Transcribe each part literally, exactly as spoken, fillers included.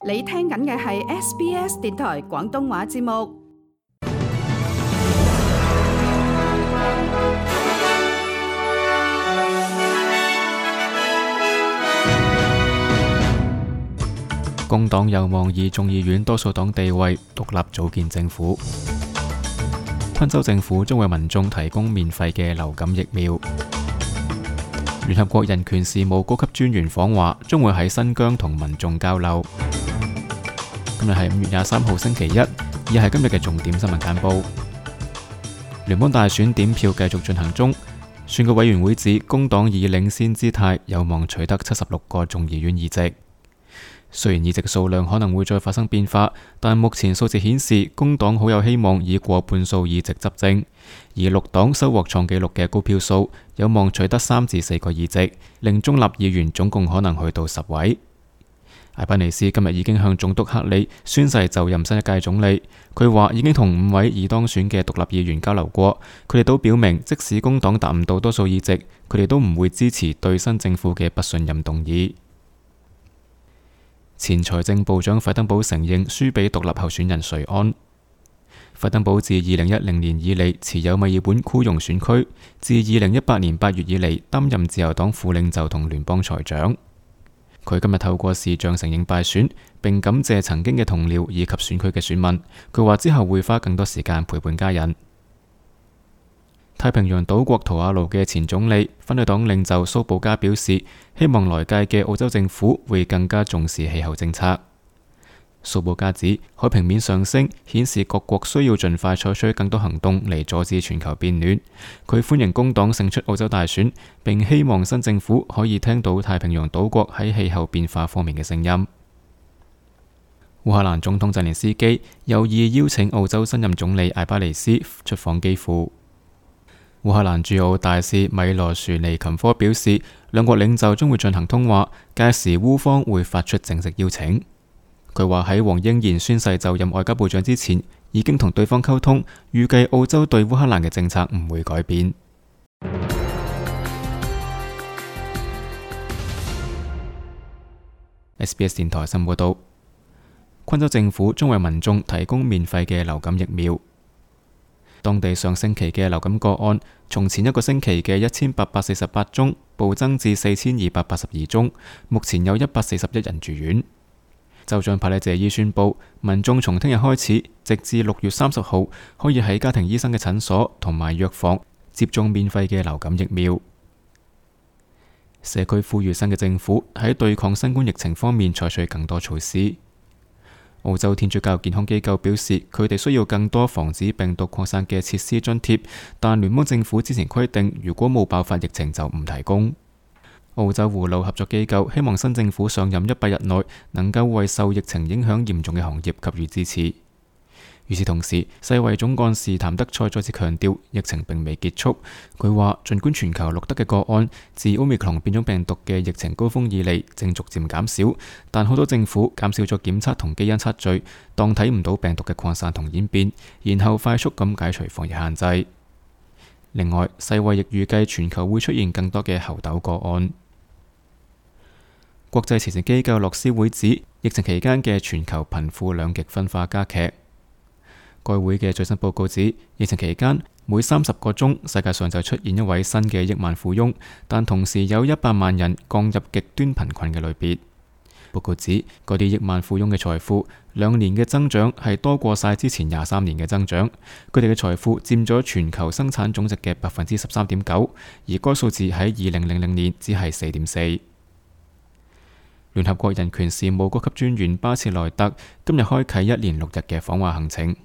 你聽緊嘅係 S B S 電台廣東話節目。工黨有望以眾議院多數黨地位獨立組建政府。昆州政府將為民眾提供免費嘅流感疫苗。聯合國人權事務高級專員訪華，將會喺新疆同民眾交流。今日係五月廿三號星期一，以下係今日嘅重點新聞簡報。聯邦大選點票繼續進行中，選舉委員會指工黨以領先姿態有望取得七十六個眾議院議席。雖然議席數量可能會再發生變化，但目前數字顯示工黨好有希望以過半數議席執政，而綠黨收穫創紀錄嘅高票數，有望取得三至四個議席，令中立議員總共可能去到十位。艾巴尼斯今日已經向總督克里宣誓就任新一屆總理。佢話已經同五位已當選嘅獨立議員交流過，佢哋都表明即使工黨達唔到多數議席，佢哋都唔會支持對新政府嘅不信任動議。前財政部長費登堡承認輸俾獨立候選人瑞安。費登堡自二零一零年以嚟持有墨爾本枯溶選區，自二零一八年八月以嚟擔任自由黨副領袖同聯邦財長。佢今日透過視像承認敗選，並感謝曾經嘅同僚以及選區嘅選民。佢話之後會花更多時間陪伴家人。太平洋島國圖瓦盧嘅前總理反對黨領袖蘇布加表示，希望來屆嘅澳洲政府會更加重視氣候政策。蘇布加指海平面上升顯示各國需要盡快採取更多行動嚟阻止全球變暖。佢歡迎工黨勝出澳洲大選，並希望新政府可以聽到太平洋島國喺氣候變化方面嘅聲音。烏克蘭總統澤連斯基有意邀請澳洲新任總理艾巴尼斯出訪基輔。烏克蘭駐澳大使米羅殊尼琴科表示，兩國領袖將會進行通話，屆時烏方會發出正式邀請。佢話喺黃英賢宣誓就任外交部長之前，已經同對方溝通，預計澳洲對烏克蘭嘅政策唔會改變。S B S 電台新聞報道，昆州政府將為民眾提供免費嘅流感疫苗。當地上星期嘅流感個案，從前一個星期嘅一千八百四十八宗暴增至四千二百八十二宗，目前有一百四十一人住院。州長帕里謝伊宣布，民眾從聽日開始，直至六月三十號，可以喺家庭醫生嘅診所同埋藥房接種免費嘅流感疫苗。社區呼籲新嘅政府喺對抗新冠疫情方面採取更多措施。澳洲天主教健康機構表示，佢哋需要更多防止病毒擴散嘅設施津貼，但聯邦政府之前規定，如果冇爆發疫情就唔提供。澳洲護老合作機構希望新政府上任一百日內能夠為受疫情影響嚴重嘅行業給予支持。與此同時，世衛總幹事譚德塞再次強調，疫情並未結束。佢話，儘管全球錄得嘅個案自 Omicron 變種病毒嘅疫情高峰以嚟正逐漸減少，但好多政府減少咗檢測同基因測序，當睇唔到病毒嘅擴散同演變，然後快速咁解除防疫限制。另外，世衛亦預計全球會出現更多嘅猴痘個案。國際慈善機構樂施會指，疫情期間嘅全球貧富兩極分化加劇。該會嘅最新報告指，疫情期間每三十個鐘，世界上就出現一位新嘅億萬富翁，但同時有一百萬人降入極端貧困嘅類別。報告指，嗰啲億萬富翁嘅財富兩年嘅增長係多過晒之前廿三年嘅增長，佢哋嘅財富佔咗全球生產總值嘅百分之十三點九，而該數字喺二零零零年只係四點四。聯合國人權事務高級專員巴切萊特今日開啟一連六日嘅訪華行程。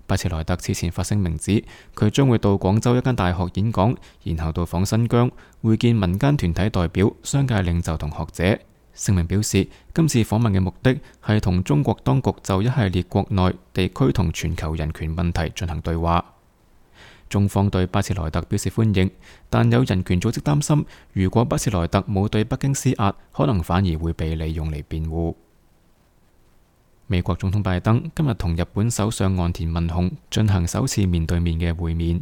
巴切萊特此前發聲明指，佢將會到廣州一間大學演講，然後到訪新疆，會見民間團體代表、商界領袖同學者。聲明表示，今次訪問嘅目的係同中國當局就一系列國內、地區同全球人權問題進行對話。中方對巴切萊特表示歡迎，但有人權組織擔心，如果巴切萊特冇對北京施壓，可能反而會被利用嚟辯護。美國總統拜登今日同日本首相岸田文雄進行首次面對面嘅會面。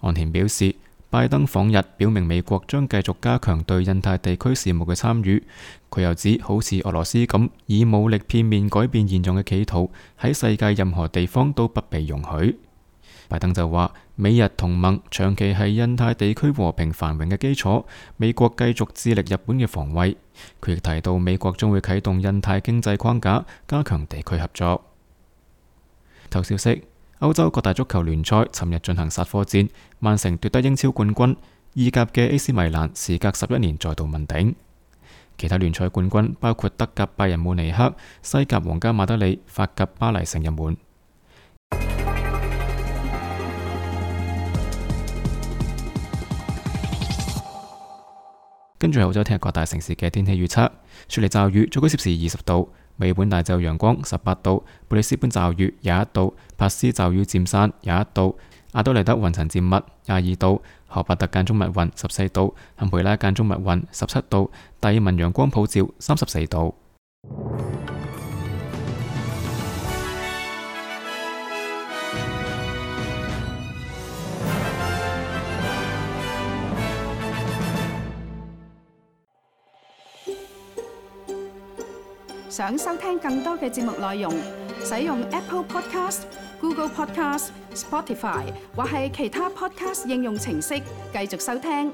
岸田表示，拜登訪日，表明美國將繼續加強對印太地區事務嘅參與。佢又指，好似俄羅斯咁以武力片面改變現狀嘅企圖，喺世界任何地方都不被容許。拜登就話，美日同盟長期係印太地區和平繁榮嘅基礎，美國繼續致力日本嘅防衛。佢亦提到，美國將會啟動印太經濟框架，加強地區合作。頭消息：歐洲各大足球聯賽尋日進行殺科戰，曼城奪得英超冠軍，意甲嘅 A C 米蘭時隔十一年再度問鼎。其他聯賽冠軍包括德甲拜仁慕尼黑、西甲皇家馬德里、法甲巴黎聖日門。跟住係澳洲聽日各大城市嘅天氣預測：雪梨驟雨，最高攝氏二十度；墨爾本大驟陽光十八度；布里斯本驟雨廿一度；珀斯驟雨漸散廿一度；阿德萊德雲層漸密廿二度；荷伯特間中密雲十四度；坎培拉間中密雲十七度；達爾文陽光普照三十四度。想收聽更多嘅節目內容，使用 Apple Podcast、Google Podcast、Spotify 或係其他 Podcast 應用程式繼續收聽。